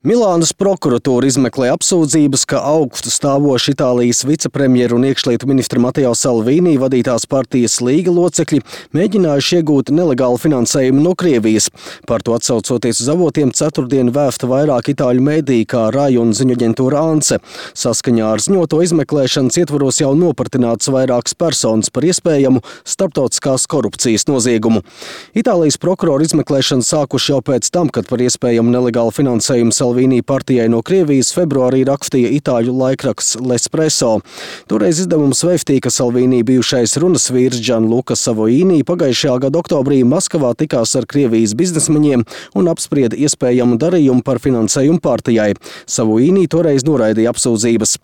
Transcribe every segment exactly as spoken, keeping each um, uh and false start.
Milānas prokuratūra izmeklē apsūdzības, ka augstu stāvoši Itālijas vicepremjeru un iekšlietu ministra Matteo Salvini vadītās partijas Līga locekļi mēģinājuši iegūt nelegālu finansējumu no Krievijas. Par to atsaucoties uz avotiem ceturtdien vēfta vairāk itāļu mediji, kā Rai un ziņu aģentūra Ance. Saskaņā ar ziņoto izmeklēšanas ietvaros jau nopartināts vairākas personas par iespējamu starptautiskās korupcijas noziegumu. Itālijas prokurori izmeklēšanu sākuši jau pēc tam, kad par iespējamu nelegālu finansējumu Salvini partijai no Krievijas februārī rakstīja itāļu laikraksts L'Espresso. Toreiz izdevums vēstīja, ka Salvini bijušais runas vīrs Gianluca Savoini pagājušajā gada oktobrī Maskavā tikās ar Krievijas biznesmeņiem un apsprieda iespējamu darījumu par finansējumu partijai. Savoini toreiz noraidīja apsūdzības.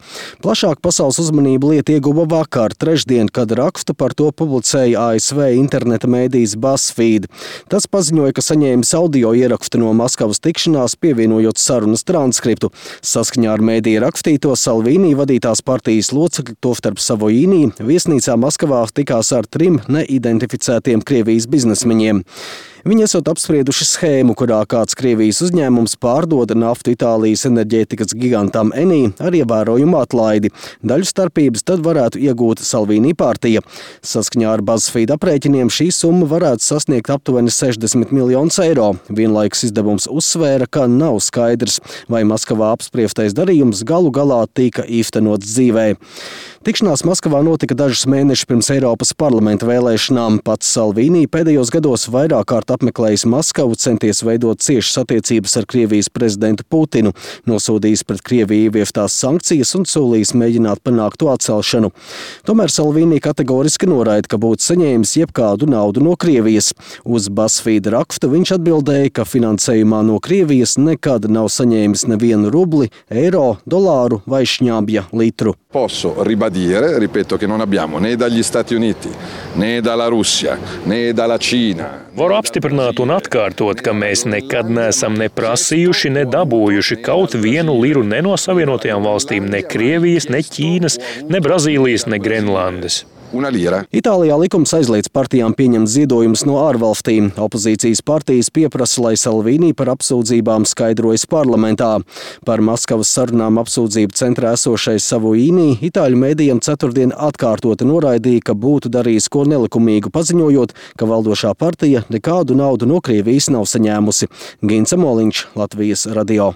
Plašāk pasaules uzmanību lieta ieguva vakar, trešdien, kad rakstu par to publicēja A S V interneta mēdījis BuzzFeed. Tas paziņoja, ka saņēmis audio ierakstu no Maskavas tikšanās, pievienojot sarunas transkriptu. Saskaņā ar mēdīja rakstīto, Salvini vadītās partijas locekļi, tostarp Savoini, viesnīcā Maskavā tikās ar trim neidentificētiem Krievijas biznesmeņiem. Viņi esot apsprieduši schēmu, kurā kāds Krievijas uzņēmums pārdoda naftu Itālijas enerģētikas gigantam Eni ar ievērojumu atlaidi. Daļu starpības tad varētu iegūt Salvini partija. Saskaņā ar BuzzFeed aprēķiniem šī summa varētu sasniegt aptuveni sešdesmit miljonus eiro. Vienlaikus izdevums uzsvēra, ka nav skaidrs, vai Maskavā apspriestais darījums galu galā tika īstenots dzīvē. Tikšanās Maskavā notika dažus mēnešus pirms Eiropas parlamenta vēlēšanām. Pats Salvini pēdējos gados vairāk kārt apmeklējis Maskavu, centies veidot ciešas attiecības ar Krievijas prezidentu Putinu, nosodījis pret Krieviju ieviestās sankcijas un solījis mēģināt panākt to atcelšanu. Tomēr Salvini kategoriski noraida, ka būtu saņēmis jebkādu naudu no Krievijas. Uz BuzzFeed rakstu viņš atbildēja, ka finansējumā no Krievijas nekad nav saņēmis nevienu rubli, eiro, dolāru vai šņabja litru. Posso ribadire, ripeto, che non abbiamo né dagli Stati Uniti, né dalla Russia, né dalla Cina. Varu apstiprināt un atkārtot, ka mēs nekad neesam ne prasījuši, ne dabūjuši kaut vienu liru ne no Savienotajām valstīm, ne Krievijas, ne Ķīnas, ne Brazīlijas, ne Grenlandes. Itālijā likums aizliedz partijām pieņemt ziedojumus no ārvalstīm. Opozīcijas partijas pieprasa, lai Salvini par apsūdzībām skaidrojas parlamentā. Par Maskavas sarunām apsūdzību centrā esošais Savoini itāļu mēdījiem ceturtdien atkārtoti noraidīja, ka būtu darījis ko nelikumīgu, paziņojot, ka valdošā partija nekādu naudu no Krievijas nav saņēmusi. Gints Moliņš, Latvijas radio.